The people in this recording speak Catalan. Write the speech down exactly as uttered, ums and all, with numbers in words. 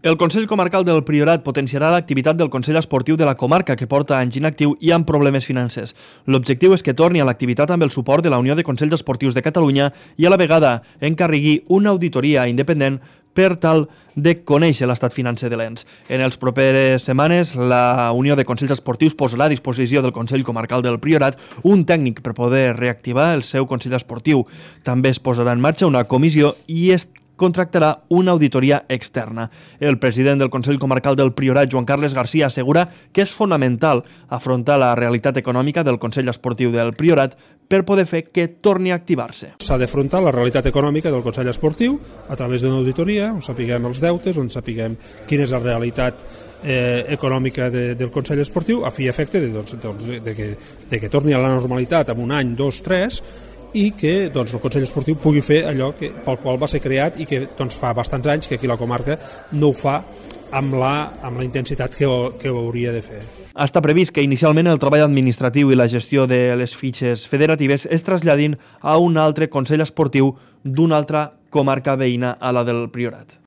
El Consell Comarcal del Priorat potenciarà l'activitat del Consell Esportiu de la comarca, que porta anys inactiu i amb problemes financers. L'objectiu és que torni a l'activitat amb el suport de la Unió de Consells Esportius de Catalunya i a la vegada encarregui una auditoria independent per tal de conèixer l'estat financer de l'ens. En les properes setmanes, la Unió de Consells Esportius posarà a disposició del Consell Comarcal del Priorat un tècnic per poder reactivar el seu Consell Esportiu. També es posarà en marxa una comissió i es contractarà una auditoria externa. El president del Consell Comarcal del Priorat, Joan Carles Garcia, assegura que és fonamental afrontar la realitat econòmica del Consell Esportiu del Priorat per poder fer que torni a activar-se. S'ha d'afrontar la realitat econòmica del Consell Esportiu a través d'una auditoria, on sapiguem els deutes, on sapiguem quina és la realitat eh, econòmica de, del Consell Esportiu, a fi i efecte de, doncs, de, que, de que torni a la normalitat en un any, dos, tres, i que doncs, el Consell Esportiu pugui fer allò que, pel qual va ser creat i que doncs, fa bastants anys que aquí la comarca no ho fa amb la, amb la intensitat que ho, que ho hauria de fer. Està previst que inicialment el treball administratiu i la gestió de les fitxes federatives es traslladin a un altre Consell Esportiu d'una altra comarca veïna a la del Priorat.